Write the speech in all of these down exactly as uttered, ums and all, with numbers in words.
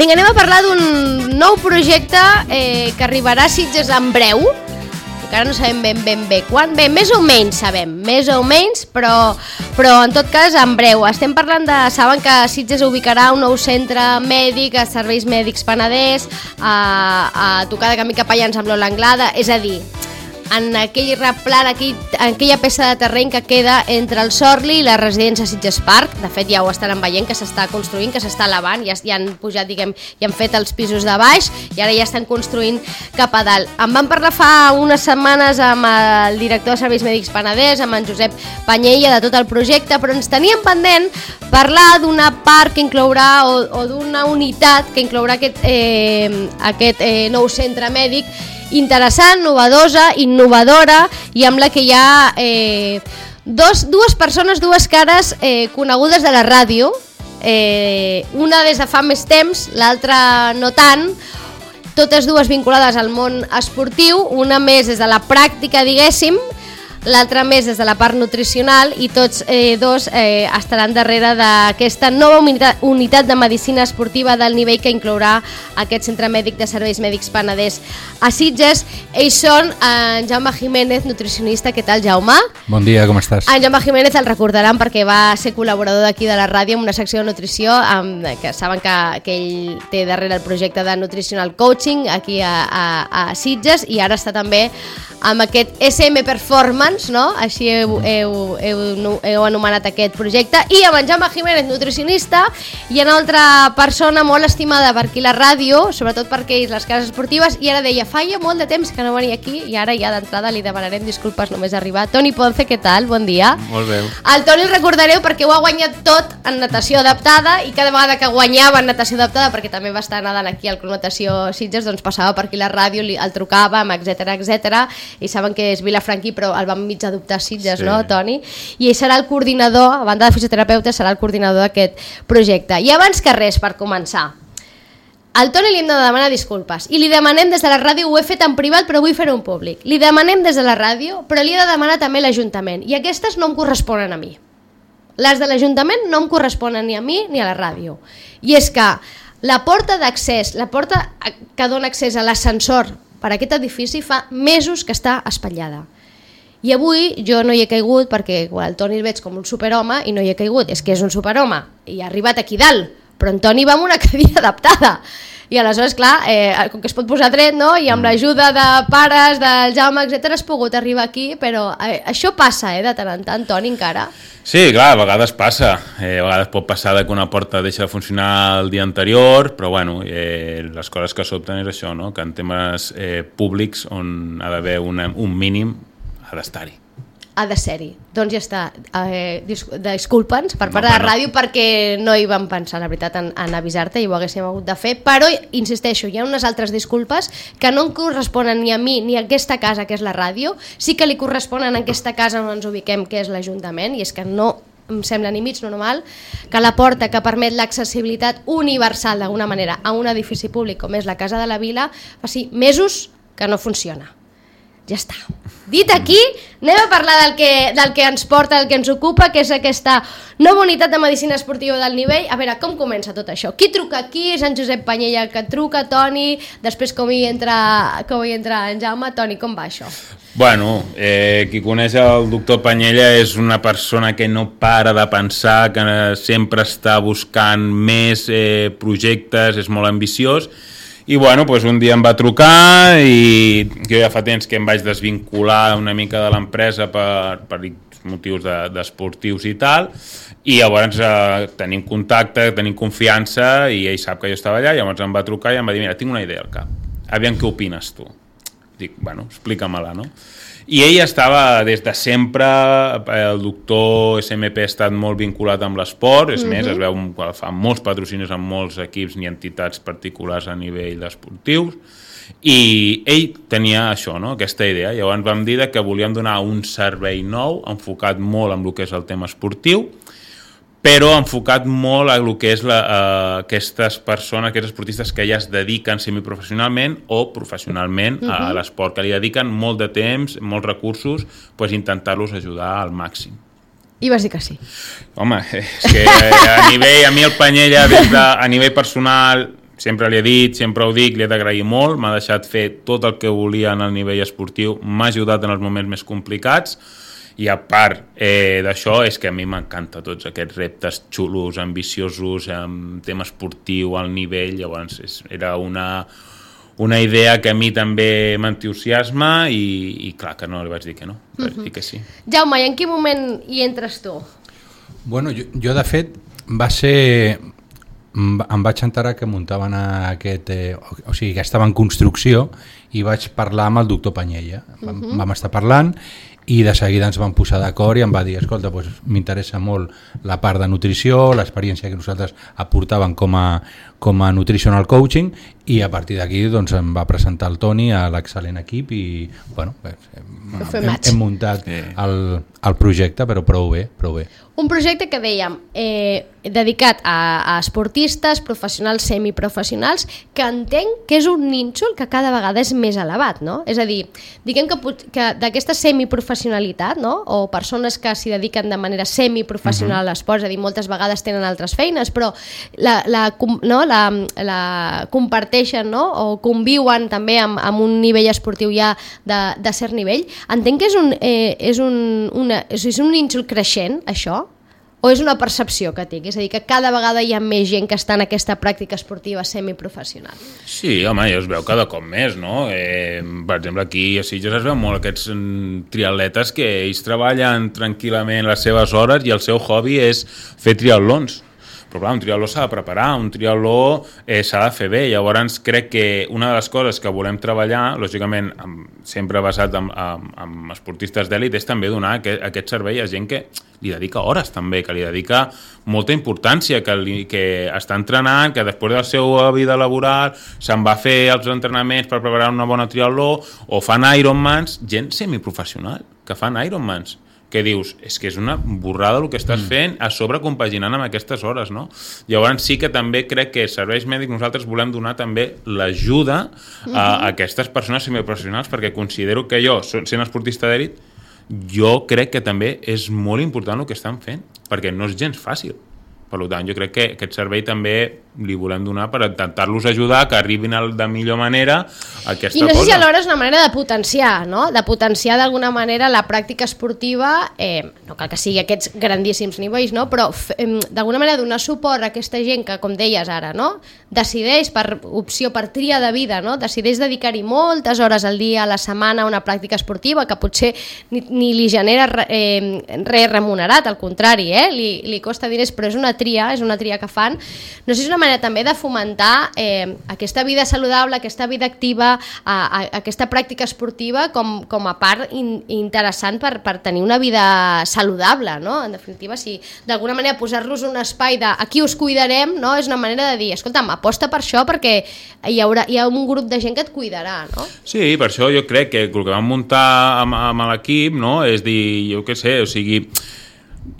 Vinga, anem a parlar d'un nou projecte eh, que arribarà a Sitges en breu. Encara no sabem ben ben bé quan. Bé, més o menys sabem, més o menys, però, però en tot cas en breu. Estem parlant de... Saben que Sitges ubicarà un nou centre mèdic, a Serveis Mèdics Penedès, a, a tocar de camí cap allà amb l'Ola Anglada, és a dir, en aquell replant, aquell, en aquella peça de terreny que queda entre el Sorli i la residència Sitges Park. De fet, ja ho estaran veient, que s'està construint, que s'està elevant, ja, ja han pujat, diguem, ja han fet els pisos de baix i ara ja estan construint cap a dalt. En vam parlar fa unes setmanes amb el director de Serveis Mèdics Penedès, amb en Josep Panyella, de tot el projecte, però ens teníem pendent parlar d'una part que inclourà, o, o d'una unitat que inclourà aquest, eh, aquest eh, nou centre mèdic interessant, novedosa, innovadora, i amb la que hi ha eh, dos, dues persones, dues cares eh, conegudes de la ràdio, eh, una des de fa més temps, l'altra no tant, totes dues vinculades al món esportiu, una més des de la pràctica, diguéssim, l'altra més des de la part nutricional, i tots eh, dos eh, estaran darrere d'aquesta nova unitat, unitat de medicina esportiva del nivell que inclourà aquest centre mèdic de Serveis Mèdics Penedès a Sitges. Ells són en Jaume Jiménez, nutricionista. Què tal, Jaume? Bon dia, com estàs? En Jaume Jiménez el recordaran perquè va ser col·laborador d'aquí de la ràdio amb una secció de nutrició, amb, que saben que, que ell té darrere el projecte de Nutritional Coaching aquí a, a, a Sitges, i ara està també amb aquest S M Performance, no? Així heu, heu, heu, heu anomenat aquest projecte, i amb en Jaume Jiménez, nutricionista, i una altra persona molt estimada per aquí la ràdio, sobretot perquè és les cases esportives, i ara deia, feia molt de temps que no venia aquí, i ara ja d'entrada li demanarem disculpes només arribar. Toni Ponce, què tal? Bon dia. Molt bé. El Toni el recordareu perquè ho ha guanyat tot en natació adaptada, i cada vegada que guanyava en natació adaptada, perquè també va estar nedant aquí al Club Natació Sitges, doncs passava per aquí la ràdio, el trucàvem, etcètera, etcètera, i saben que és vilafranquí, però el vam mig adoptar a Sitges, sí. No, Toni? I ell serà el coordinador, a banda de fisioterapeuta, serà el coordinador d'aquest projecte. I abans que res, per començar, al Toni li hem de demanar disculpes, i li demanem des de la ràdio, ho he fet en privat però vull fer-ho en públic, li demanem des de la ràdio, però li he de demanar també a l'Ajuntament, i aquestes no em corresponen a mi. Les de l'Ajuntament no em corresponen ni a mi ni a la ràdio. I és que la porta d'accés, la porta que dona accés a l'ascensor per a aquest edifici fa mesos que està espatllada. I avui jo no hi he caigut perquè quan el Toni el veig com un superhome i no hi he caigut, és que és un superhome i ha arribat aquí dalt, però en Toni va amb una cadira adaptada. I aleshores, clar, eh, com que es pot posar dret, no? I amb l'ajuda de pares, del Jaume, etcètera, has pogut arribar aquí, però eh, això passa, eh, de tant en tant, Toni, encara. Sí, clar, a vegades passa. Eh, a vegades pot passar que una porta deixa de funcionar el dia anterior, però bueno, eh, les coses que s'opten és això, no? Que en temes eh, públics on ha d'haver un mínim ha d'estar-hi. Ha de ser-hi. Doncs ja està. Eh, disculpa'ns per part de la ràdio perquè no hi vam pensar, la veritat, en, en avisar-te, i ho haguéssim hagut de fer, però, insisteixo, hi ha unes altres disculpes que no em corresponen ni a mi ni a aquesta casa, que és la ràdio, sí que li corresponen a aquesta casa on ens ubiquem, que és l'Ajuntament, i és que no em sembla ni mig normal que la porta que permet l'accessibilitat universal d'alguna manera a un edifici públic com és la Casa de la Vila faci mesos que no funciona. Ja està. Dit aquí, anem a parlar del que, del que ens porta, del que ens ocupa, que és aquesta nova unitat de medicina esportiva del nivell. A veure, com comença tot això? Qui truca aquí? És en Josep Panyella que truca, Toni, després com hi entra, com hi entra en Jaume. Toni, com va això? Bueno, eh, qui coneix el doctor Panyella és una persona que no para de pensar, que sempre està buscant més eh, projectes, és molt ambiciós. I bueno, doncs un dia em va trucar i jo ja fa temps que em vaig desvincular una mica de l'empresa per, per motius de, d'esportius i tal, i llavors eh, tenim contacte, tenim confiança, i ell sap que jo estava allà, i llavors em va trucar i em va dir, mira, tinc una idea al cap, aviam què opines tu. Dic, bueno, explica-me-la, no? I ell estava des de sempre, el doctor S M P ha estat molt vinculat amb l'esport, és mm-hmm. més, es veu que fa molts patrocinis amb molts equips i entitats particulars a nivell esportius, i ell tenia això, no? Aquesta idea. Llavors vam dir que volíem donar un servei nou, enfocat molt en el que és el tema esportiu, però enfocat molt a el que és la, uh, aquestes persones, aquests esportistes que ja es dediquen semiprofessionalment o professionalment uh-huh. a l'esport, que li dediquen molt de temps, molts recursos, pues intentar-los ajudar al màxim. I vas dir que sí. Home, és que a nivell, a mi el Panyella, des de, a nivell personal, sempre li he dit, sempre ho dic, li he d'agrair molt, m'ha deixat fer tot el que volia en el nivell esportiu, m'ha ajudat en els moments més complicats, i a part eh, d'això és que a mi m'encanta tots aquests reptes xulos, ambiciosos, amb tema esportiu, al nivell, llavors és, era una, una idea que a mi també m'entusiasma i, i clar que no li vaig dir que no, vaig uh-huh. dir que sí. Jaume, i en quin moment hi entres tu? Bueno, jo, jo de fet va ser... em vaig enterar que muntaven aquest, eh, o sigui, que estava en construcció i vaig parlar amb el doctor Panyella. Vam, uh-huh. vam estar parlant i de seguida ens vam posar d'acord i em va dir, escolta, doncs, m'interessa molt la part de nutrició, l'experiència que nosaltres aportàvem com a, com a nutritional coaching, i a partir d'aquí doncs, em va presentar el Toni a l'excel·lent equip i bueno, hem, hem, hem muntat el, el projecte, però prou bé, prou bé. Un projecte que dèiem eh, dedicat a, a esportistes, professionals, semiprofessionals, que entenc que és un nínxol que cada vegada és més elevat, no? És a dir, diguem que, que d'aquesta semiprofessionalitat, no? O persones que s'hi dediquen de manera semiprofessional a l'esport, és a dir, moltes vegades tenen altres feines, però la, la, no? la, la comparteixen, no? O conviuen també amb, amb un nivell esportiu ja de, de cert nivell. Entenc que és un, eh, és un, una, és un nínxol creixent, això? O és una percepció que tinc? És a dir, que cada vegada hi ha més gent que està en aquesta pràctica esportiva semiprofessional. Sí, home, ja es veu cada cop més, no? Eh, per exemple, aquí a Sitges es veu molt aquests triatletes que ells treballen tranquil·lament les seves hores i el seu hobby és fer triatlons. Però clar, un triatló s'ha de preparar, un triatló eh, s'ha de fer bé. Llavors crec que una de les coses que volem treballar, lògicament amb, sempre basat en, en, en esportistes d'èlit, és també donar aquest, aquest servei a gent que li dedica hores també, que li dedica molta importància, que, li, que està entrenant, que després de la seva vida laboral se'n va fer els entrenaments per preparar una bona triatló, o fan Ironmans, gent semiprofessional que fan Ironmans, que dius, és que és una borrada el que estàs fent, a sobre compaginant amb aquestes hores, no? Llavors sí que també crec que serveis mèdics nosaltres volem donar també l'ajuda a, a aquestes persones semiprofessionals, perquè considero que jo, sent esportista d'èlit, jo crec que també és molt important el que estan fent, perquè no és gens fàcil. Per tant, jo crec que aquest servei també li volem donar per intentar-los ajudar que arribin de millor manera a aquesta cosa. I no sé si alhora és una manera de potenciar, no? De potenciar d'alguna manera la pràctica esportiva, eh, no cal que sigui aquests grandíssims nivells, no? Però eh, d'alguna manera donar suport a aquesta gent que, com deies ara, no? Decideix per opció, per tria de vida, no? Decideix dedicar-hi moltes hores al dia, a la setmana, a una pràctica esportiva que potser ni, ni li genera eh, res remunerat, al contrari, eh? Li, li costa diners, però és una tria, és una tria que fan. No sé si és una manera també de fomentar eh, aquesta vida saludable, aquesta vida activa, a, a, aquesta pràctica esportiva com, com a part in, interessant per, per tenir una vida saludable, no? En definitiva, si d'alguna manera posar-los un espai de aquí us cuidarem, no? És una manera de dir, escolta'm, aposta per això perquè hi haurà, hi ha un grup de gent que et cuidarà, no? Sí, per això jo crec que el que vam muntar amb, amb l'equip, no? És dir, jo què sé, o sigui,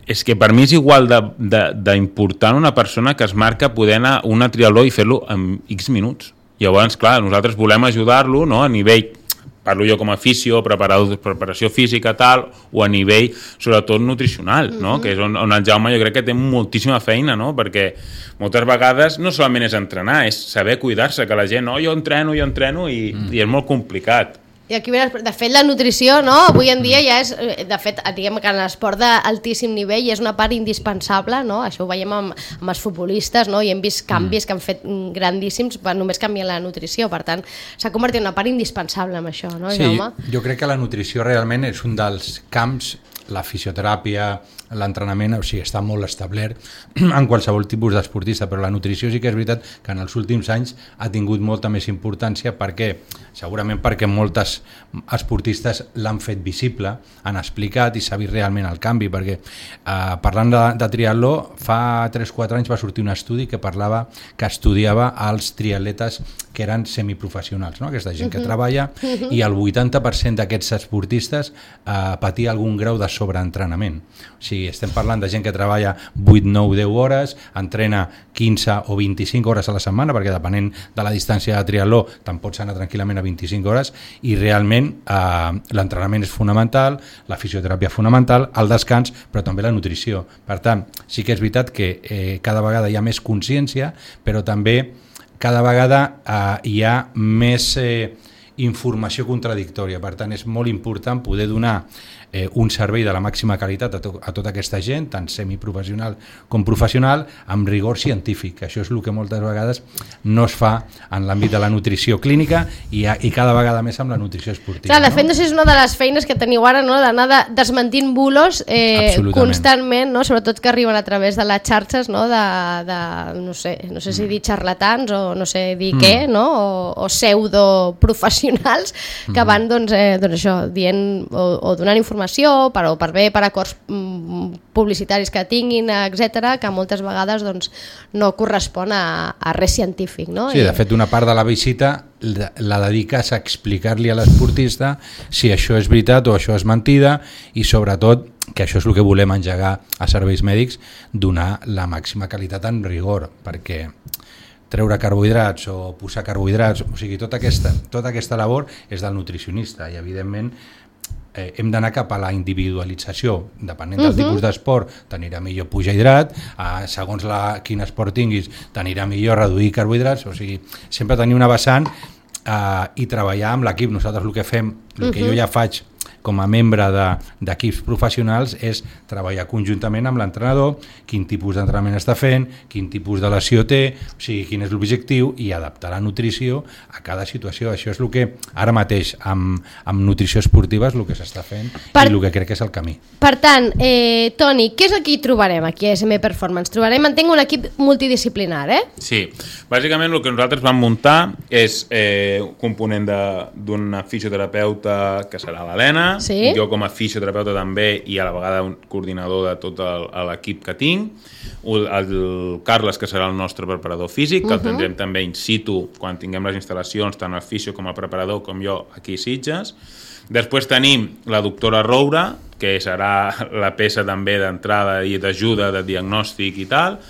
és que per mi és igual d'important una persona que es marca poder anar a una triatló i fer-lo en X minuts. Llavors, clar, nosaltres volem ajudar-lo, no? A nivell, parlo jo com a fisio, preparació física, tal, o a nivell, sobretot, nutricional, no? Mm-hmm. Que és on, on el Jaume jo crec que té moltíssima feina, no? Perquè moltes vegades no solament és entrenar, és saber cuidar-se, que la gent, no, jo entreno, jo entreno, i, mm. i és molt complicat. I aquí, de fet, la nutrició, no? Avui en dia ja és, de fet, diguem que en l'esport d'altíssim nivell és una part indispensable, no? Això ho veiem amb, amb els futbolistes, no? I hem vist canvis que han fet grandíssims per només canviar la nutrició, per tant, s'ha convertit en una part indispensable amb això, no, sí, Jaume? Jo crec que la nutrició realment és un dels camps, la fisioteràpia, l'entrenament, o sigui, està molt establert en qualsevol tipus d'esportista, però la nutrició sí que és veritat que en els últims anys ha tingut molta més importància, perquè segurament perquè moltes esportistes l'han fet visible, han explicat i s'ha vist realment el canvi, perquè eh, parlant de, de triatló, fa tres o quatre anys va sortir un estudi que parlava, que estudiava els triatletes que eren semiprofessionals, no? Aquesta gent que uh-huh. treballa, uh-huh. i el vuitanta per cent d'aquests esportistes eh, patia algun grau de sobreentrenament. O sigui, estem parlant de gent que treballa vuit, nou, deu hores, entrena quinze o vint-i-cinc hores a la setmana, perquè depenent de la distància de triatló te'n pots anar tranquil·lament a vint-i-cinc hores, i realment eh, l'entrenament és fonamental, la fisioteràpia fonamental, el descans, però també la nutrició. Per tant, sí que és veritat que eh, cada vegada hi ha més consciència, però també cada vegada eh, hi ha més eh, informació contradictòria. Per tant, és molt important poder donar eh, un servei de la màxima qualitat a, to a tota aquesta gent, tant semiprofessional com professional, amb rigor científic. Això és el que moltes vegades no es fa en l'àmbit de la nutrició clínica i, a, i cada vegada més amb la nutrició esportiva. Clar, de fet, no? no sé, és una de les feines que teniu ara, no? D'anar de, desmentint bulos eh, constantment, no? Sobretot que arriben a través de les xarxes, no? De, de no sé, no sé si dir xarlatans o no sé dir mm. què, no? O, o pseudoprofessionals que mm. van, doncs, eh, doncs això, dient o, o donant informació per, o per bé, per acords mm, publicitaris que tinguin, etcètera, que moltes vegades doncs, no correspon a, a res científic. No? Sí, de fet, una part de la visita la dediques a explicar-li a l'esportista si això és veritat o això és mentida i sobretot, que això és el que volem engegar a serveis mèdics, donar la màxima qualitat en rigor, perquè treure carbohidrats o posar carbohidrats, o sigui, tota aquesta, tota aquesta labor és del nutricionista i evidentment Eh, hem d'anar cap a la individualització, depenent del uh-huh. tipus d'esport t'anirà millor pujar hidrat, eh, segons la, quin esport tinguis t'anirà millor reduir carbohidrats, o sigui, sempre tenir una vessant eh, i treballar amb l'equip. Nosaltres el que fem, el uh-huh. que jo ja faig com a membre d'equips de, professionals és treballar conjuntament amb l'entrenador, quin tipus d'entrenament està fent, quin tipus de lesió té, o sigui, quin és l'objectiu i adaptar la nutrició a cada situació. Això és el que ara mateix amb, amb nutrició esportiva és el que s'està fent per, i el que crec que és el camí. Per tant, eh, Toni, què és el que hi trobarem aquí a S M Performance? Trobarem, entenc, un equip multidisciplinar, eh? Sí, bàsicament el que nosaltres vam muntar és eh, un component d'una fisioterapeuta que serà l'Helena, sí? Jo com a fisioterapeuta també i a la vegada un coordinador de tot l'equip que tinc, el, el Carles, que serà el nostre preparador físic, que uh-huh. el tindrem també in situ quan tinguem les instal·lacions, tant el fisio com a preparador com jo aquí a Sitges. Després tenim la doctora Roura, que serà la peça també d'entrada i d'ajuda de diagnòstic i tal.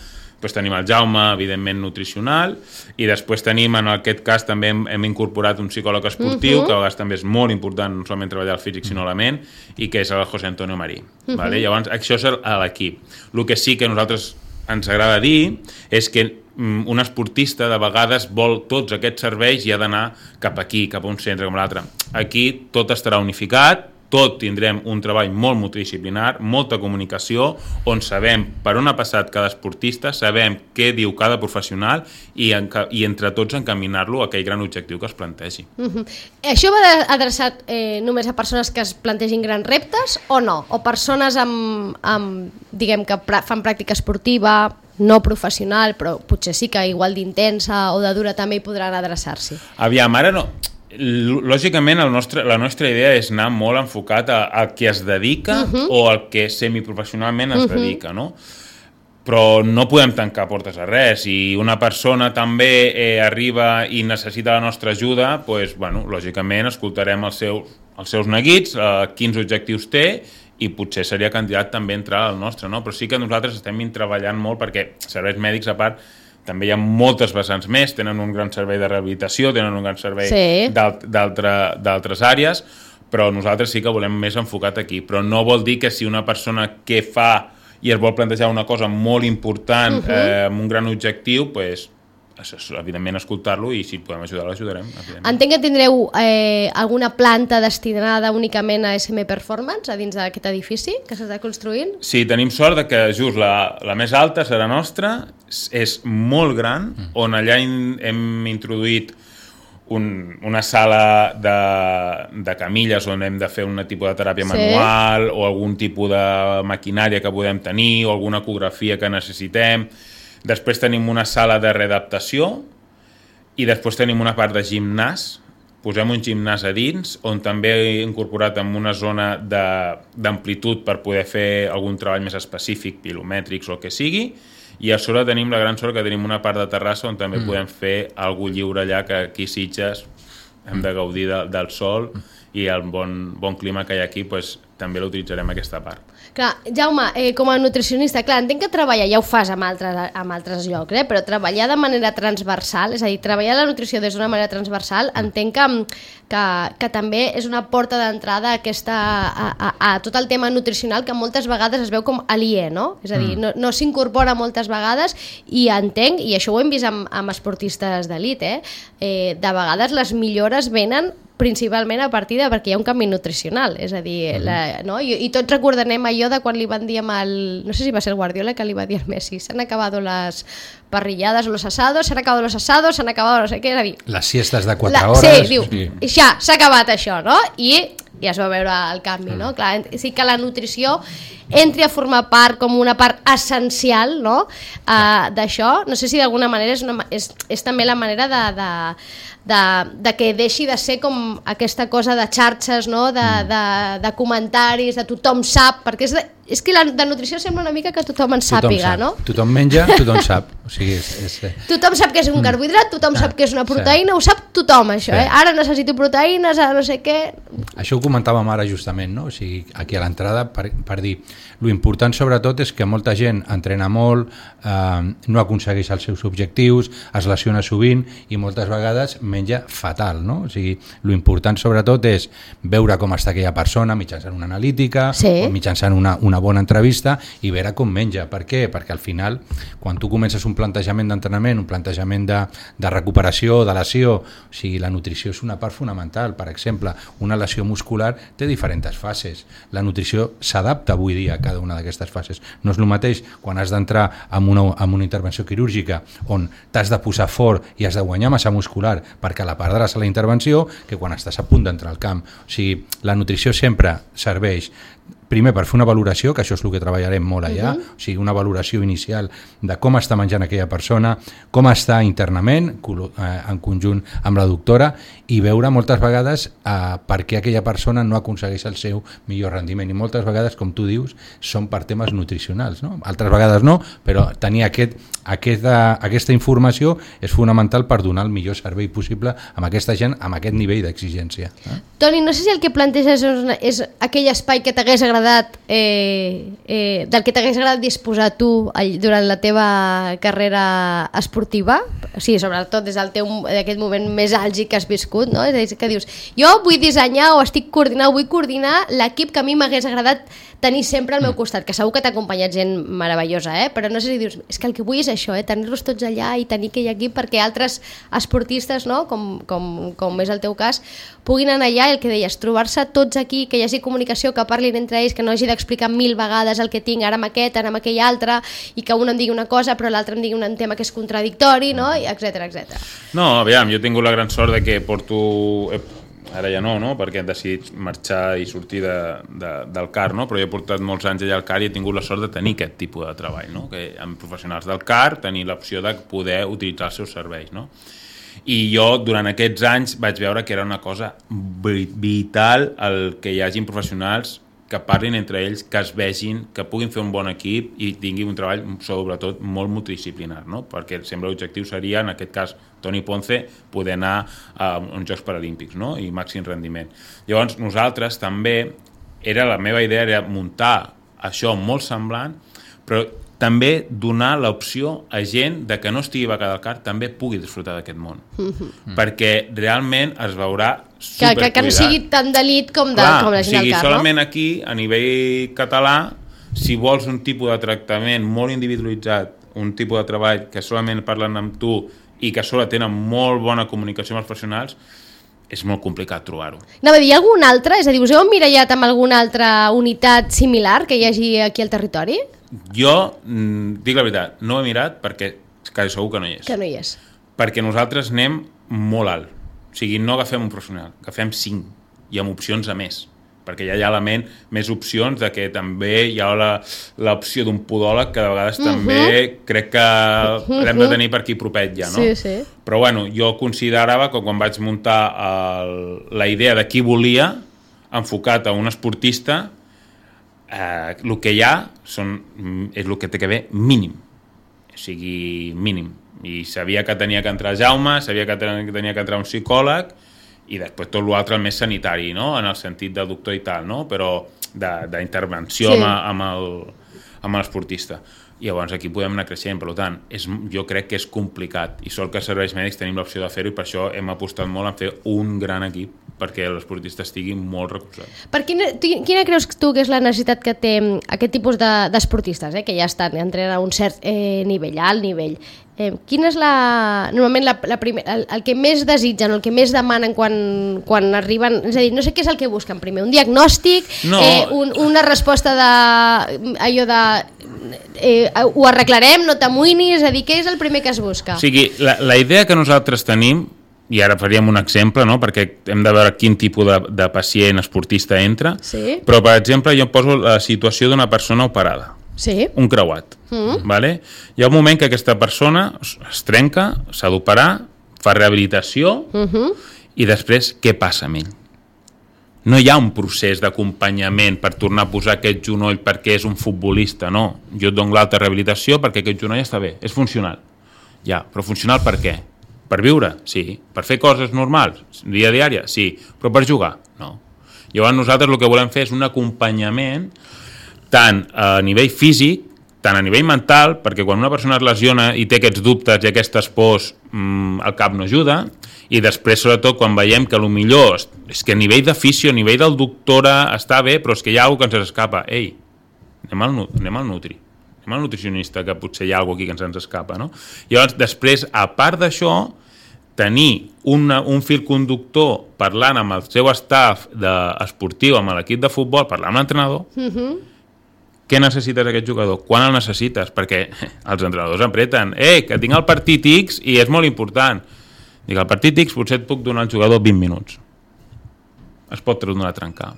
Després tenim el Jaume, evidentment, nutricional, i després tenim, en aquest cas, també hem, hem incorporat un psicòleg esportiu, uh-huh. que a vegades també és molt important, no solament treballar el físic, sinó la ment, i que és el José Antonio Marí. Uh-huh. Vale? Llavors, això és l'equip. El que sí que a nosaltres ens agrada dir és que um, un esportista de vegades vol tots aquests serveis i ha d'anar cap aquí, cap a un centre com l'altre. Aquí tot estarà unificat, tot tindrem un treball molt multidisciplinar, molta comunicació, on sabem per on ha passat cada esportista, sabem què diu cada professional i, en, i entre tots encaminar-lo a aquell gran objectiu que es plantegi. Uh-huh. Això va adreçat eh, només a persones que es plantegin grans reptes o no? O persones amb, amb diguem que pra fan pràctica esportiva, no professional, però potser sí que igual d'intensa o de dura també hi podran adreçar-s'hi? Aviam, ara no... Lògicament el nostre, la nostra idea és anar molt enfocat a, a qui es dedica uh-huh. o al que semiprofessionalment es uh-huh. dedica, no? Però no podem tancar portes a res. Si una persona també eh, arriba i necessita la nostra ajuda, doncs, bueno, lògicament escoltarem els seus, els seus neguits, eh, quins objectius té, i potser seria candidat també a entrar al nostre, no? Però sí que nosaltres estem treballant molt perquè serveis mèdics, a part, també hi ha moltes vessants més, tenen un gran servei de rehabilitació, tenen un gran servei sí. d'altres àrees, però nosaltres sí que volem més enfocat aquí. Però no vol dir que si una persona que fa i es vol plantejar una cosa molt important uh-huh. eh, amb un gran objectiu, pues, evidentment escoltar-lo i si podem ajudar l'ajudarem. Entenc que tindreu eh, alguna planta destinada únicament a S M Performance a dins d'aquest edifici que s'està construint? Sí, tenim sort de que just la, la més alta serà nostra, és molt gran, on allà in, hem introduït un, una sala de, de camilles on hem de fer un tipus de teràpia sí. manual o algun tipus de maquinària que podem tenir o alguna ecografia que necessitem. Després tenim una sala de readaptació i després tenim una part de gimnàs. Posem un gimnàs a dins, on també he incorporat en una zona d'amplitud per poder fer algun treball més específic, pilomètrics o el que sigui, i a sobre tenim la gran sort que tenim una part de terrassa on també mm. podem fer algú lliure allà, que aquí a Sitges hem de gaudir de, del sol i el bon, bon clima que hi ha aquí, pues, també l'utilitzarem aquesta part. Clar, Jaume, eh, com a nutricionista, clar, entenc que treballar, ja ho fas amb altres, amb altres llocs, eh, però treballar de manera transversal, és a dir, treballar la nutrició des d'una manera transversal, entenc que, que, que també és una porta d'entrada a, aquesta, a, a, a tot el tema nutricional que moltes vegades es veu com aliè, no? És a dir, no, no s'incorpora moltes vegades i entenc, i això ho hem vist amb, amb esportistes d'elit, eh, eh, de vegades les millores venen principalment a partir de perquè hi ha un canvi nutricional, és a dir, la, no? I, i tots recordarem allò de quan li van dir amb el, no sé si va ser el Guardiola que li va dir al Messi, s'han acabat les parrilladas o los asados, s'han acabat los asados, s'han acabat no sé què, és a dir... Les siestes de quatre la, hores... Sí, diu, sí. Ja, s'ha acabat això, no? I ja es va veure el canvi, no? Clar, sí que la nutrició entri a formar part com una part essencial, no? Uh, d'això, no sé si d'alguna manera és, una, és, és també la manera de... de De, de que deixi de ser com aquesta cosa de xarxes, no? de, de, de comentaris, de tothom sap, perquè és, de, és que la de nutrició sembla una mica que tothom en sàpiga, tothom no? Sap. Tothom menja, tothom sap. O sigui, és, és... Tothom sap que és un carbohidrat, tothom ah, sap que és una proteïna, sí. Ho sap tothom, això, sí. eh? Ara necessito proteïnes, ara no sé què... Això ho comentàvem ara justament, no? O sigui, aquí a l'entrada, per, per dir, lo important sobretot és que molta gent entrena molt, eh, no aconsegueix els seus objectius, es lesiona sovint i moltes vegades menja fatal, no? O sigui, lo important sobretot és veure com està aquella persona mitjançant una analítica, sí. o mitjançant una, una bona entrevista i veure com menja. Per què? Perquè al final, quan tu comences un plantejament d'entrenament, un plantejament de, de recuperació, de lesió, o sigui, la nutrició és una part fonamental. Per exemple, una lesió muscular té diferents fases. La nutrició s'adapta avui dia a cada una d'aquestes fases. No és el mateix quan has d'entrar en una, en una intervenció quirúrgica on t'has de posar fort i has de guanyar massa muscular perquè la perdràs a la intervenció que quan estàs a punt d'entrar al camp. O sigui, la nutrició sempre serveix primer per fer una valoració, que això és el que treballarem molt allà, uh-huh. o sigui, una valoració inicial de com està menjant aquella persona, com està internament, en conjunt amb la doctora, i veure moltes vegades eh, per què aquella persona no aconsegueix el seu millor rendiment. I moltes vegades, com tu dius, són per temes nutricionals, no? Altres vegades no, però tenir aquest, aquesta, aquesta informació és fonamental per donar el millor servei possible amb aquesta gent, amb aquest nivell d'exigència. Eh? Toni, no sé si el que planteges és, una, és aquell espai que t'hagués agradat Eh, eh, del que t'hagués agradat disposar tu durant la teva carrera esportiva, sí, sobretot des del teu d'aquest moment més àlgid que has viscut, no? És a dir, que dius, jo vull dissenyar o estic coordinant, vull coordinar l'equip que a mi m'hagués agradat tenir sempre al meu costat, que segur que t'ha acompanyat gent meravellosa, eh? Però no sé si dius, és que el que vull és això, eh? Tenir-los tots allà i tenir aquell equip perquè altres esportistes, no? com, com, com és el teu cas, puguin anar allà i el que deies, trobar-se tots aquí, que hi hagi comunicació, que parlin entre ells, que no hagi d'explicar mil vegades el que tinc ara amb aquest, ara amb aquell altre, i que un em digui una cosa però l'altre em digui un tema que és contradictori, no? etcètera, etcètera. No, aviam, jo he tingut la gran sort de que porto... Ara ja no, no? Perquè hem decidit marxar i sortir de, de, del C A R, no? Però jo he portat molts anys allà al C A R i he tingut la sort de tenir aquest tipus de treball, no? Que amb professionals del C A R tenir l'opció de poder utilitzar els seus serveis, no? I jo durant aquests anys vaig veure que era una cosa vital el que hi hagin professionals que parlin entre ells, que es vegin, que puguin fer un bon equip i tinguin un treball sobretot molt multidisciplinar, no? Perquè sempre l'objectiu seria, en aquest cas Toni Ponce, poder anar a uns Jocs Paralímpics, no? I màxim rendiment. Llavors nosaltres també, era la meva idea era muntar això molt semblant, però també donar l'opció a gent de que no estigui becada al C A R també pugui disfrutar d'aquest món. Mm-hmm. Perquè realment es veurà supercuidat. Que, que, que no sigui tan d'elit com, de, Clar, com la gent del C A R, no? O sigui, solament aquí, a nivell català, si vols un tipus de tractament molt individualitzat, un tipus de treball que solament parlen amb tu i que sola tenen molt bona comunicació amb els professionals, és molt complicat trobar-ho. Anava a dir, algun altre? És a dir, us heu emmirallat amb alguna altra unitat similar que hi hagi aquí al territori? Jo, dic la veritat, no ho he mirat perquè quasi segur que no hi és. Que no hi és. Perquè nosaltres anem molt alt. O sigui, no agafem un professional, agafem cinc i amb opcions a més. Perquè ja hi ha a la ment més opcions de que també hi ha l'opció d'un podòleg que de vegades uh-huh. també crec que uh-huh. l'hem de tenir per aquí propet ja, no? Sí, sí. Però bueno, jo considerava que quan vaig muntar el, la idea de qui volia, enfocat a un esportista, eh, el que hi ha són, és el que té que haver mínim. O sigui, mínim. I sabia que tenia que entrar Jaume, sabia que tenia que entrar un psicòleg, i després tot l'altre el més sanitari, no? En el sentit de doctor i tal, no? Però d'intervenció sí. amb, amb el amb l'esportista. I llavors aquí podem anar creixent, per tant, és, jo crec que és complicat i sol que a serveis mèdics tenim l'opció de fer-ho i per això hem apostat molt en fer un gran equip perquè l'esportista estigui molt recolzat. Per quina, quina creus tu que és la necessitat que té aquest tipus d'esportistes, de, eh, que ja estan entrenen a un cert eh, nivell, alt nivell? Eh, quina és la, normalment la, la primer, el, el que més desitgen, el que més demanen quan, quan arriben, és a dir, no sé què és el que busquen primer, un diagnòstic, no. eh, un, una resposta de, allò de eh, ho arreglarem, no t'amoïnis, és a dir, què és el primer que es busca? O sigui, la, la idea que nosaltres tenim, i ara faríem un exemple, no? Perquè hem de veure quin tipus de, de pacient esportista entra, sí. Però per exemple jo poso la situació d'una persona operada, sí. Un creuat, mm. vale? Hi ha un moment que aquesta persona es trenca, s'ha d'operar, fa rehabilitació mm-hmm. i després què passa amb ell? No hi ha un procés d'acompanyament per tornar a posar aquest genoll perquè és un futbolista, no. Jo et dono l'alta rehabilitació perquè aquest genoll està bé, és funcional. Ja, però funcional per què? Per viure? Sí. Per fer coses normals? Dia a diària? Sí. Però per jugar? No. Llavors nosaltres el que volem fer és un acompanyament tant a nivell físic, tant a nivell mental, perquè quan una persona es lesiona i té aquests dubtes i aquestes pors, mmm, el cap no ajuda, i després sobretot quan veiem que potser és que a nivell de fisio, a nivell del doctora està bé, però és que hi ha alguna cosa que ens escapa. Ei, anem al, anem al nutri. Anem al nutricionista, que potser hi ha alguna cosa aquí que ens, ens escapa, no? I llavors, després, a part d'això, tenir una, un fil conductor parlant amb el seu staff de, esportiu, amb l'equip de futbol, parlar amb l'entrenador, mm-hmm. què necessites aquest jugador? Quan el necessites? Perquè els entrenadors apreten, eh, que tinc el partit X i és molt important. Dic, el partit X potser et puc donar al jugador vint minuts. Es pot tornar a trencar.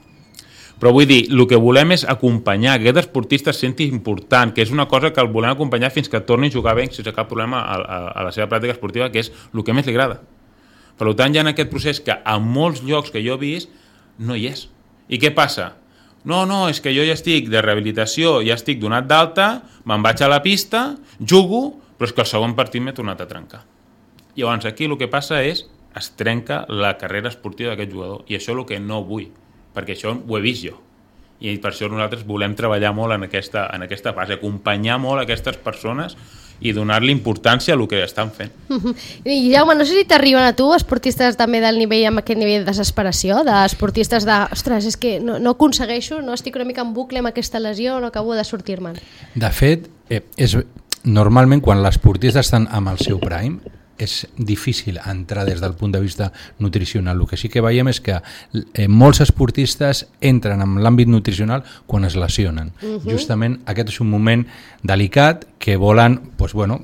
Però vull dir, el que volem és acompanyar, que aquest esportista es senti important, que és una cosa que el volem acompanyar fins que torni a jugar bé sense cap problema a, a, a la seva pràctica esportiva, que és el que més li agrada. Per tant, hi ha aquest procés que a molts llocs que jo he vist no hi és. I què passa? No, no, és que jo ja estic de rehabilitació, ja estic donat d'alta, me'n vaig a la pista, jugo, però és que el segon partit m'he tornat a trencar. Llavors, aquí el que passa és es trenca la carrera esportiva d'aquest jugador, i això és el que no vull, perquè això ho he vist jo. I per això nosaltres volem treballar molt en aquesta, en aquesta fase, acompanyar molt aquestes persones i donar-li importància a el que estan fent. I Jaume, no sé si t'arriben a tu esportistes també del nivell, amb aquest nivell de desesperació, d'esportistes de, ostres, és que no, no aconsegueixo, no estic una mica en bucle amb aquesta lesió, no acabo de sortir-me'n. De fet, eh, és, normalment quan l'esportista estan amb el seu prime, és difícil entrar des del punt de vista nutricional. El que sí que veiem és que eh, molts esportistes entren en l'àmbit nutricional quan es lesionen. Uh-huh. Justament aquest és un moment delicat que volen pues, bueno,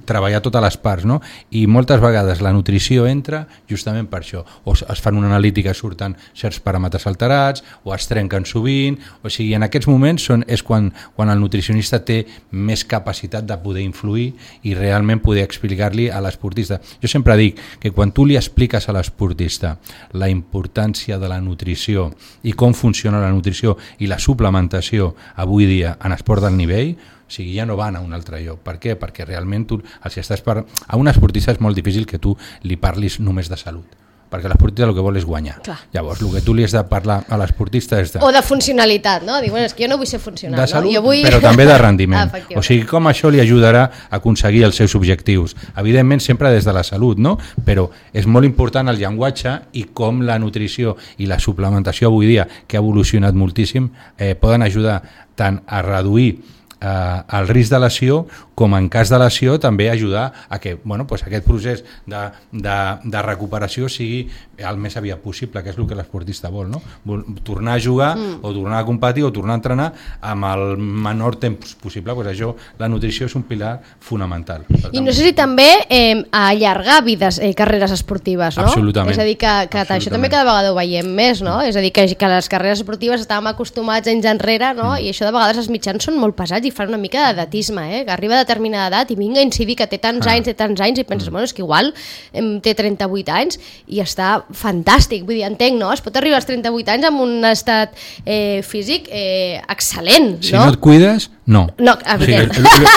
treballar totes les parts, no? I moltes vegades la nutrició entra justament per això. O es fan una analítica, surten certs paràmetres alterats, o es trenquen sovint, o sigui, en aquests moments són, és quan, quan el nutricionista té més capacitat de poder influir i realment poder explicar-li a l'esportista. Jo sempre dic que quan tu li expliques a l'esportista la importància de la nutrició i com funciona la nutrició i la suplementació avui dia en esport del nivell, o sigui, ja no van a un altre lloc. Per què? Perquè realment tu, si estàs per... a un esportista és molt difícil que tu li parlis només de salut, perquè l'esportista el que vol és guanyar. Clar. Llavors, el que tu li has de parlar a l'esportista és de... O de funcionalitat, no? Diu, bueno, és que jo no vull ser funcional, de salut, no? Jo vull... però també de rendiment. Ah, o sigui, com això li ajudarà a aconseguir els seus objectius. Evidentment, sempre des de la salut, no? Però és molt important el llenguatge i com la nutrició i la suplementació avui dia, que ha evolucionat moltíssim, eh, poden ajudar tant a reduir eh, el risc de lesió, com en cas de lesió també ajudar a que bueno, pues aquest procés de, de, de recuperació sigui el més aviat possible, que és el que l'esportista vol, no? Vol tornar a jugar mm. o tornar a competir o tornar a entrenar amb el menor temps possible. Pues això, la nutrició és un pilar fonamental. I no sé si també eh, allargar vides, eh, carreres esportives, no? Absolutament. És a dir, que, que això també cada vegada ho veiem més, no? És a dir, que, que les carreres esportives estàvem acostumats anys enrere, no? Mm. I això de vegades els mitjans són molt pesats i fan una mica d'edatisme, eh? Que arriba de determinada edat i vinga a incidir que té tants ah. anys, té tants anys i penses, mm. bueno, és que igual em, té trenta-vuit anys i està fantàstic, vull dir, entenc, no? Es pot arribar als trenta-vuit anys amb un estat eh, físic eh, excel·lent, si no? no et cuides, no. No, evident. O sigui,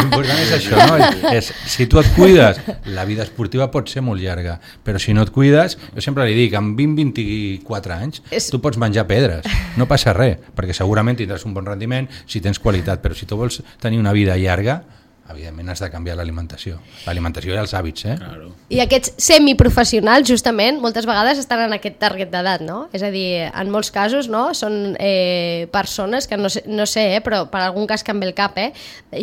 l'important és això, no? És, si tu et cuides, la vida esportiva pot ser molt llarga, però si no et cuides, jo sempre li dic, amb vint a vint-i-quatre anys, és... tu pots menjar pedres, no passa res, perquè segurament tindràs un bon rendiment si tens qualitat, però si tu vols tenir una vida llarga, evidentment has de canviar l'alimentació. L'alimentació i els hàbits, eh? Claro. I aquests semiprofessionals, justament, moltes vegades estan en aquest target d'edat, no? És a dir, en molts casos, no? Són eh, persones que no sé, no sé eh, però per algun cas que em ve el cap, eh?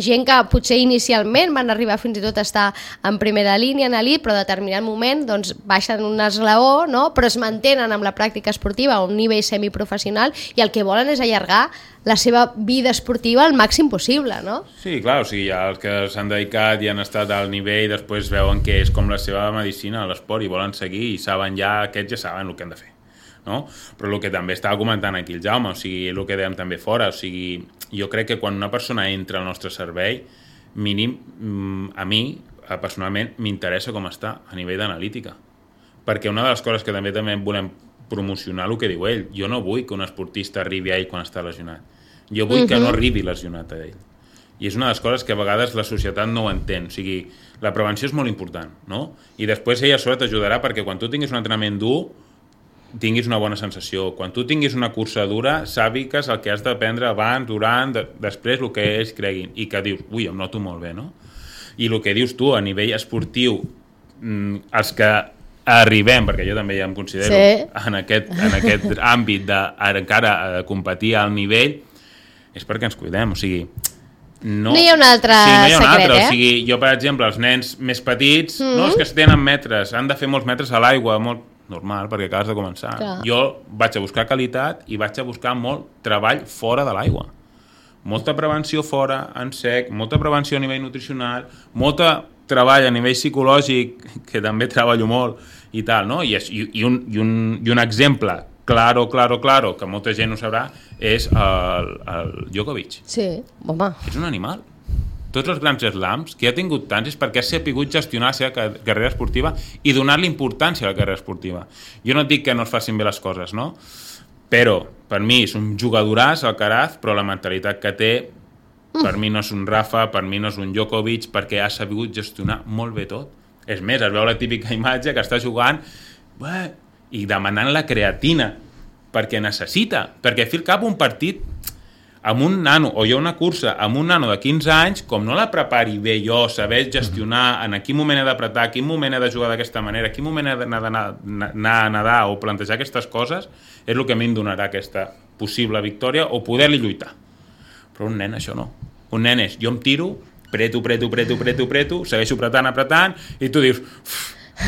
Gent que potser inicialment van arribar fins i tot a estar en primera línia, en elit, però a determinat moment doncs, baixen un esglaó, no? Però es mantenen amb la pràctica esportiva a un nivell semiprofessional i el que volen és allargar la seva vida esportiva al màxim possible, no? Sí, clar, o sigui, els que s'han dedicat i han estat al nivell, després veuen que és com la seva medicina, l'esport, i volen seguir i saben ja, aquests ja saben el que han de fer, no? Però el que també estava comentant aquí el Jaume, o sigui, el que dèiem també fora, o sigui, jo crec que quan una persona entra al nostre servei, mínim, a mi, personalment, m'interessa com està a nivell d'analítica, perquè una de les coses que també també volem promocionar el que diu ell, jo no vull que un esportista arribi a ell quan està lesionat, jo vull uh-huh. que no arribi lesionat a ell. I és una de les coses que a vegades la societat no ho entén. O sigui, la prevenció és molt important, no? I després ella a sobre t'ajudarà perquè quan tu tinguis un entrenament dur, tinguis una bona sensació. Quan tu tinguis una cursa dura, sàpigues el que has d'aprendre abans, durant, de, després, el que ells creguin. I que dius, ui, em noto molt bé, no? I el que dius tu a nivell esportiu, els que arribem, perquè jo també ja em considero sí. en, aquest, en aquest àmbit de encara de competir al nivell, és perquè ens cuidem, o sigui, no, no hi ha un altre sí, no hi ha un secret, altre. eh? O sigui, jo, per exemple, els nens més petits, mm-hmm. no, els que tenen metres, han de fer molts metres a l'aigua, molt normal, perquè acabes de començar. Clar. Jo vaig a buscar qualitat i vaig a buscar molt treball fora de l'aigua. Molta prevenció fora, en sec, molta prevenció a nivell nutricional, molta treball a nivell psicològic, que també treballo molt, i tal, no? I, i, i, un, i, un, i un exemple claro, claro, claro, que molta gent ho sabrà, és el, el Djokovic. Sí, home. És un animal. Tots els grans slams que ha tingut tants és perquè ha sapigut gestionar la seva carrera esportiva i donar-li importància a la carrera esportiva. Jo no et dic que no es facin bé les coses, no? Però, per mi, és un jugadoràs, Alcaraz, però la mentalitat que té, per mi no és un Rafa, per mi no és un Djokovic, perquè ha sabut gestionar molt bé tot. És més, es veu la típica imatge que està jugant bé, i demanant la creatina, perquè necessita, perquè fi al cap un partit amb un nano, o hi ha una cursa amb un nano de quinze anys, com no la prepari bé jo, saber gestionar en quin moment he d'apretar, quin moment he de jugar d'aquesta manera, quin moment he d'anar anar a nedar o plantejar aquestes coses, és el que a mi em donarà aquesta possible victòria o poder-li lluitar. Però un nen això no. Un nen és, jo em tiro, preto, preto, preto, preto, preto, segueixo apretant, apretant, i tu dius...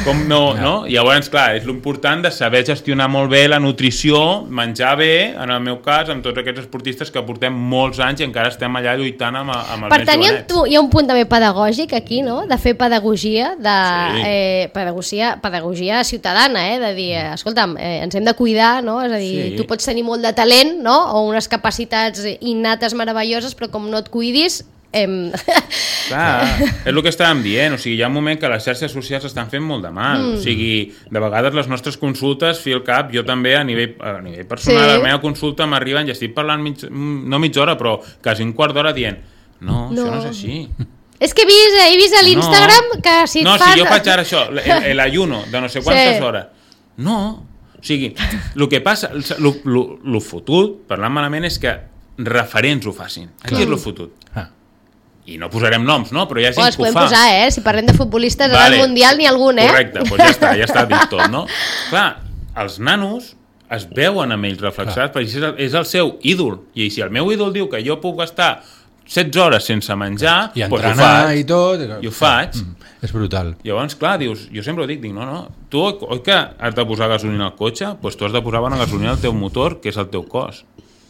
com no, no? I llavors, clar, és l'important de saber gestionar molt bé la nutrició, menjar bé, en el meu cas, amb tots aquests esportistes que portem molts anys i encara estem allà lluitant amb, amb els per nens tant, jovenets. Tu, hi ha un punt també pedagògic aquí, no? De fer pedagogia, de, sí. eh, pedagogia, pedagogia ciutadana, eh? De dir, escolta'm, eh, ens hem de cuidar, no? És a dir, sí. Tu pots tenir molt de talent, no? O unes capacitats innates meravelloses, però com no et cuidis... Em... Clar, és el que estàvem dient, o sigui, hi ha un moment que les xarxes socials estan fent molt de mal, mm. o sigui, de vegades les nostres consultes, fi al cap, jo també a nivell, a nivell personal, sí. A la meva consulta m'arriben i estic parlant mig, no mitja hora, però quasi un quart d'hora dient, no, no, això no és així. És que he vist, he vist a l'Instagram no. que si et no, fas... No, si jo faig ara això, l'ayuno de no sé quantes sí. hores, no, o sigui, el que passa, el fotut, parlant malament, és que referents ho facin, aquí és el fotut. Ah. I no posarem noms, no? Però hi ha gent oh, que ho fa. Podem posar, eh? Si parlem de futbolistes vale. Al Mundial ni algun, eh? Correcte, doncs ja està, ja està dit tot, no? Clar, els nanos es veuen amb ells reflexats, perquè és el, és el seu ídol. I si el meu ídol diu que jo puc estar setze hores sense menjar, i entrenar doncs ho faig, i tot. I ho faig. Mm, és brutal. Llavors, clar, dius, jo sempre ho dic, dic, no, no, tu oi que has de posar gasolina al cotxe? Doncs tu has de posar bona gasolina al teu motor, que és el teu cos.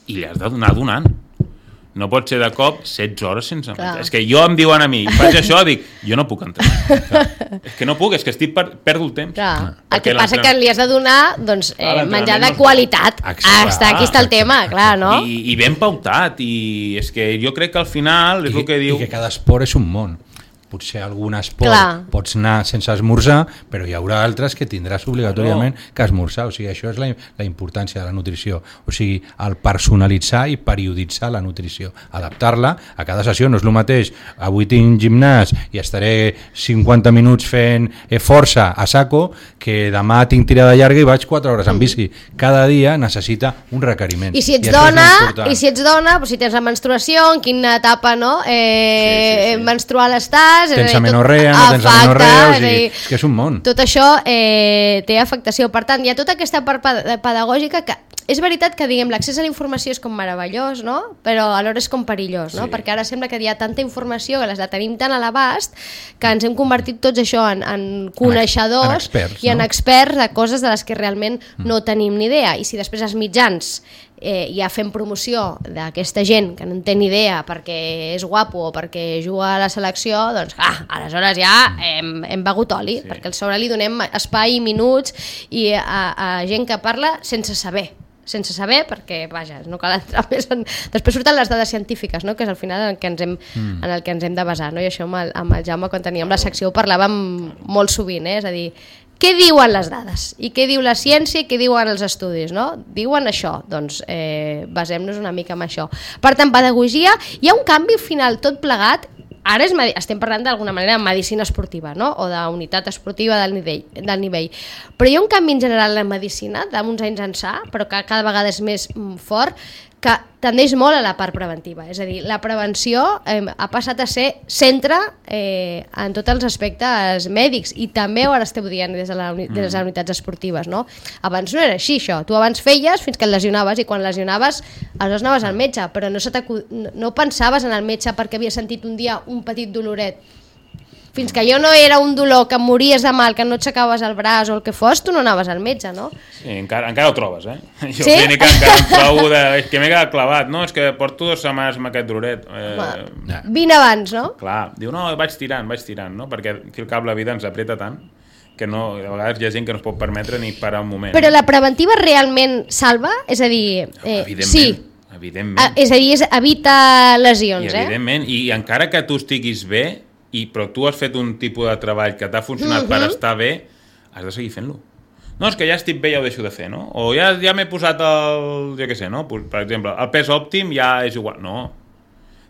I li has de donar donant. No pot ser de cop setze hores sense menjar. És que jo em diuen a mi, faig això, dic, jo no puc entrar. És que no puc, és que estic per... perdo el temps. Clar. El que passa que li has de donar doncs, eh, menjar de qualitat. Està, aquí està el tema, clar, no? I, i ben pautat, i és que jo crec que al final és I, el que diu... I que cada esport és un món. Potser algun esport Clar. pots anar sense esmorzar, però hi haurà altres que tindràs obligatòriament que esmorzar. O sigui, això és la, la importància de la nutrició. O sigui, el personalitzar i perioditzar la nutrició. Adaptar-la a cada sessió. No és el mateix. Avui tinc gimnàs i estaré cinquanta minuts fent força a saco, que demà tinc tirada llarga i vaig quatre hores en bici. Cada dia necessita un requeriment. I si ets I dona, i si ets dona, doncs si tens la menstruació, en quina etapa no? eh, sí, sí, sí. menstrual estàs, tens amenorrea, no tens amenorrea, o sigui, és que és un món. Tot això eh, té afectació. Per tant, hi ha tota aquesta part pedagògica que és veritat que diguem l'accés a la informació és com meravellós, no? Però alhora és com perillós, no? Sí. Perquè ara sembla que hi ha tanta informació que les la tenim tan a l'abast que ens hem convertit tots això en, en coneixedors en experts, i en no? experts de coses de les que realment mm. no tenim ni idea. I si després els mitjans eh, ja fem promoció d'aquesta gent que no en té ni idea perquè és guapo o perquè juga a la selecció, doncs ah, aleshores ja hem, hem begut oli, sí. perquè al sobre li donem espai i minuts i a, a gent que parla sense saber sense saber, perquè, vaja, no cal entrar més en... Després surten les dades científiques, no? Que és al final en el que ens hem, mm. en el que ens hem de basar, no? I això amb el, amb el Jaume, quan teníem la secció, ho parlàvem molt sovint, eh? És a dir, què diuen les dades? I què diu la ciència i què diuen els estudis, no? Diuen això, doncs eh, basem-nos una mica en això. Per tant, pedagogia, hi ha un canvi final tot plegat. Ara és, estem parlant d'alguna manera de medicina esportiva, no? O d'unitat esportiva del nivell, del nivell. Però hi ha un canvi en general en la medicina, d'uns anys ençà, però que cada vegada és més fort, que tendeix molt a la part preventiva. És a dir, la prevenció eh, ha passat a ser centre eh, en tots els aspectes mèdics i també ho ara esteu dient des de, la, des de les unitats esportives, no? Abans no era així, això. Tu abans feies fins que et lesionaves i quan lesionaves aleshores anaves al metge, però no, se no, no pensaves en el metge perquè havia sentit un dia un petit doloret. Fins que jo no era un dolor que mories de mal, que no aixecaves el braç o el que fos, tu no anaves al metge, no? Sí, encara, encara ho trobes, eh? Jo sí? clínica encara em trobo de... És que m'he quedat clavat, no? És que porto dues setmanes amb aquest doloret. Eh... Vine abans, no? Clar, diu, no, vaig tirant, vaig tirant, no? Perquè aquí al cap la vida ens apreta tant que no, a vegades hi ha gent que no es pot permetre ni parar un moment. Però la preventiva realment salva? És a dir... Eh, evidentment. Sí. Evidentment. Ah, és a dir, és, evita lesions, I, evidentment, eh? I encara que tu estiguis bé, i, però tu has fet un tipus de treball que t'ha funcionat uh-huh. per estar bé, has de seguir fent-lo. No, és que ja estic bé, ja ho deixo de fer, no? O ja, ja m'he posat el... jo què sé, no? Per exemple, el pes òptim ja és igual. No.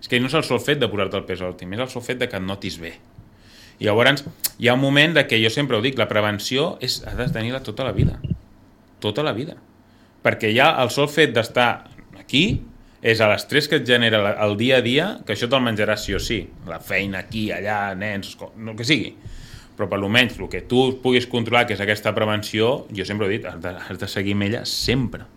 És que no és el sol fet de posar-te el pes òptim, és el sol fet de que et notis bé. I llavors hi ha un moment de que jo sempre ho dic, la prevenció és, has de tenir-la tota la vida. Tota la vida. Perquè ja el sol fet d'estar aquí és a l'estrès que et genera el dia a dia, que això te'l menjaràs sí o sí. La feina aquí, allà, nens, el que sigui. Però per almenys el que tu puguis controlar, que és aquesta prevenció, jo sempre he dit, has de, has de seguir amb ella sempre.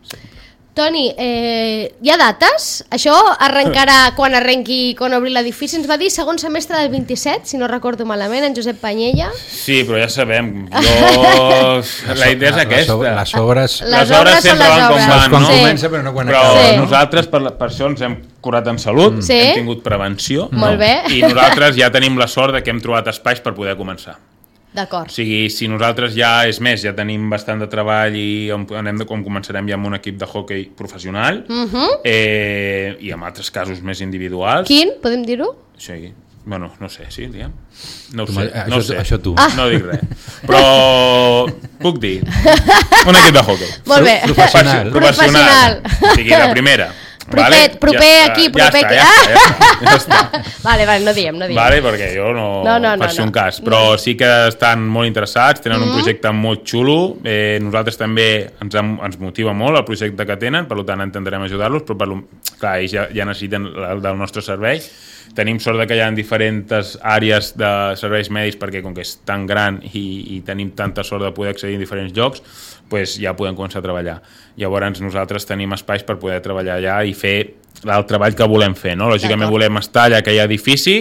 sempre. Toni, eh, hi ha dates? Això arrencarà quan arrenqui, quan obri l'edifici. Ens va dir segon semestre del vint-i-set, si no recordo malament, en Josep Panyella. Sí, però ja sabem. Jo... la idea és aquesta. Les obres, les les obres sempre van com van, no? Sí. Comença, però no quan però acaba. Sí. Nosaltres, per, per això ens hem curat en salut, sí. hem tingut prevenció. Molt bé. I nosaltres ja tenim la sort de que hem trobat espais per poder començar. D'acord. O sigui, si nosaltres ja, és més, ja tenim bastant de treball i anem de, com començarem ja amb un equip de hoquei professional uh-huh. eh, i amb altres casos més individuals. Quin? Podem dir-ho? Sí, bueno, no sé, sí, diguem. No ho Tu, sé, això, no ho sé. Això tu. Ah. No dic res. Però puc dir, un equip de hoquei. Molt bé. Professional. Professional. O sigui, la primera. Proper, vale? proper ja aquí, està, proper ja aquí. Està, ja està, ja està, ja està. Vale, vale, no diem, no diem. Vale, perquè jo no, no, no, no faig no, un cas, però no. sí que estan molt interessats, tenen mm-hmm. un projecte molt xulo, eh, nosaltres també ens, ens motiva molt el projecte que tenen, per tant intentarem ajudar-los, però per, clar, ells ja, ja necessiten el del nostre servei. Tenim sort de que hi ha diferents àrees de serveis mèdics perquè com que és tan gran i, i tenim tanta sort de poder accedir a diferents llocs, pues ja podem començar a treballar. Llavors nosaltres tenim espais per poder treballar allà i fer el treball que volem fer, no? Lògicament volem estar allà que hi ha edifici,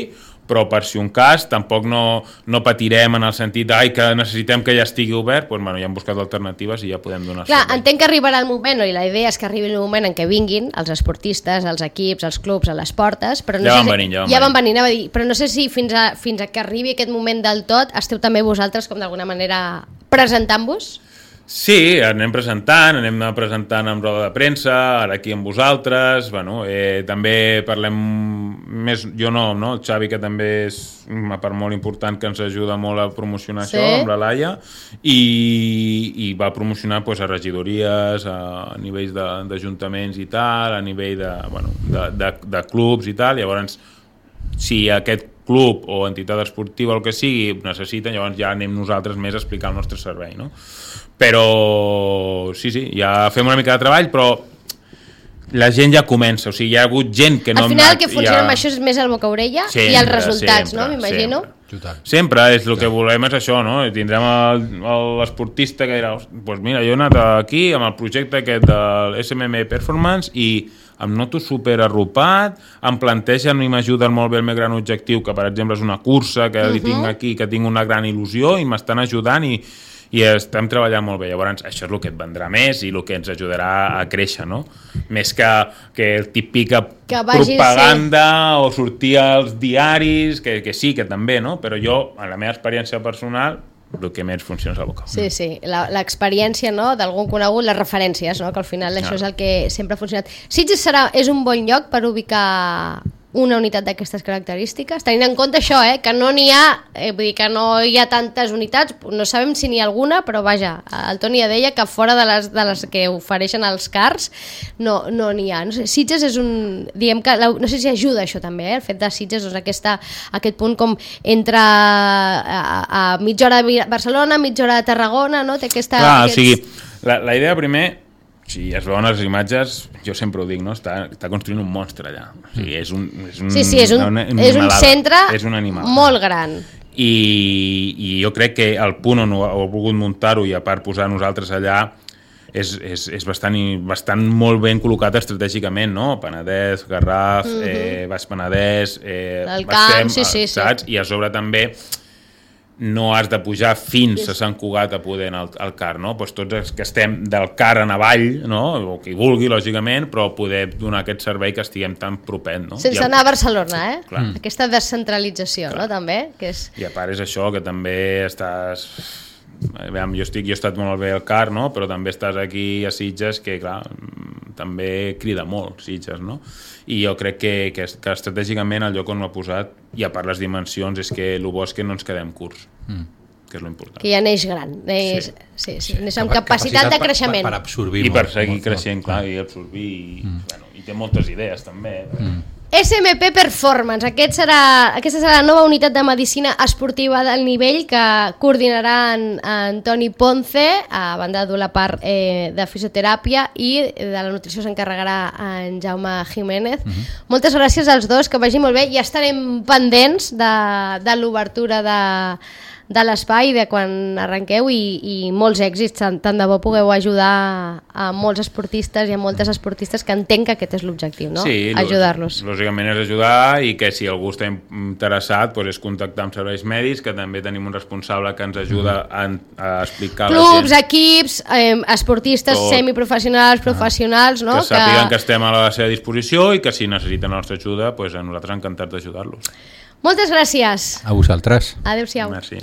però per si un cas tampoc no, no patirem en el sentit ai, que necessitem que ja estigui obert, doncs, bueno, ja hem buscat alternatives i ja podem donar Clar, servei. entenc que arribarà el moment, i la idea és que arribi el moment en què vinguin els esportistes, els equips, els clubs a les portes, però no Ja sé van si, venint, ja van ja van venint. venint, anava a dir, però no sé si fins a, fins a que arribi aquest moment del tot esteu també vosaltres com d'alguna manera presentant-vos? Sí, anem presentant, anem presentant amb roda de premsa, ara aquí amb vosaltres, bueno, eh, també parlem més, jo no, no, el Xavi, que també és una part molt important que ens ajuda molt a promocionar Sí. això, amb la Laia, i, i va promocionar pues, a regidories, a nivells de- d'ajuntaments i tal, a nivell de, bueno, de, de, de clubs i tal, llavors si aquest club o entitat esportiva o el que sigui necessiten, llavors ja anem nosaltres més a explicar el nostre servei, no? Però sí, sí, ja fem una mica de treball, però la gent ja comença, o sigui, hi ha hagut gent que no... Al final el que ja... funciona amb això és més el boca-orella i els resultats, sempre, no? M'imagino. Sempre. Sempre és el que volem és això, no? Tindrem el- el- l'esportista que dirà, doncs mira, jo he anat aquí amb el projecte aquest del S M M Performance i em noto super arropat, em plantegen i m'ajuden molt bé el meu gran objectiu, que per exemple és una cursa que li tinc aquí, que tinc una gran il·lusió i m'estan ajudant i, i estem treballant molt bé. Llavors això és el que et vendrà més i el que ens ajudarà a créixer, no? Més que, que el típic Que vagi, propaganda o sortir als diaris, que, que sí, que també, no? Però jo, en la meva experiència personal, el que més funciona és la boca. Sí, sí, la- l'experiència, no?, d'algun conegut, les referències, no?, que al final això és el que sempre ha funcionat. Sitges serà, és un bon lloc per ubicar una unitat d'aquestes característiques, tenint en compte això, eh, que no n'hi ha, eh, vull dir que no hi ha tantes unitats, no sabem si n'hi ha alguna, però vaja, el Toni ja deia que fora de les, de les que ofereixen els cars no no n'hi ha. No sé, Sitges és un, diguem que, la- no sé si ajuda això també, eh, el fet de Sitges, doncs aquesta, aquest punt com entre a, a mitja hora de Barcelona, mitja hora de Tarragona, no? Té aquesta... Clar, aquests... o sigui, la, la idea primer, si es veuen les imatges, jo sempre ho dic, no? Està, està construint un monstre allà. O sigui, és un, és un, Sí, sí, és un, una és un animalada. centre És una animalada. molt gran. I, i jo crec que el punt on ho heu volgut muntar-ho i a part posar nosaltres allà és, és, és bastant, i- bastant molt ben col·locat estratègicament, no? Penedès, Garraf, mm -hmm. eh, Baix Penedès, eh, L'Alt Camp, Baixem, sí, sí, sí. saps? I a sobre també no has de pujar fins a Sant Cugat a poder anar al, al car, no? Pues tots els que estem del car en avall, no? O qui vulgui, lògicament, però poder donar aquest servei que estiguem tan propet, no? Sense I el- anar a Barcelona, eh? Clar. Aquesta descentralització, no?, també, que és... I a part és això, que també estàs... Aviam, jo, estic, jo he estat molt bé al car, no? Però també estàs aquí a Sitges, que clar, mm, també crida molt Sitges, no? I jo crec que, que, que estratègicament el lloc on l'ha posat, i a part les dimensions, és que el bo és que no ens quedem curts, mm. que és l'important. que ja neix gran, neix, sí. Sí, sí, neix amb capacitat, Capacitat de per- creixement. Per, per absorbir I per molt, seguir molt, creixent, molt. clar, i absorbir, i, mm. bueno, i té moltes idees, també. Mm. S M P Performance, Aquest serà, aquesta serà la nova unitat de medicina esportiva del nivell que coordinarà en, en Toni Ponce, a banda de dur la part eh, de fisioteràpia, i de la nutrició s'encarregarà en Jaume Jiménez. Uh -huh. Moltes gràcies als dos, que vagi molt bé, i estarem pendents de, de l'obertura de, de l'espai, de quan arrenqueu, i, i molts èxits, tant, tant de bo pugueu ajudar a molts esportistes i a moltes esportistes, que entenc que aquest és l'objectiu, no? Sí, Ajudar-los. lògicament és ajudar, i que si algú està interessat doncs és contactar amb serveis mèdics, que també tenim un responsable que ens ajuda a, a explicar Clubs, a la gent equips, eh, esportistes Tot. semiprofessionals, professionals, no? que sàpiguen que estem a la seva disposició i que si necessiten la nostra ajuda, doncs a nosaltres encantats d'ajudar-los. Moltes gràcies. A vosaltres. Adéu-siau. Merci.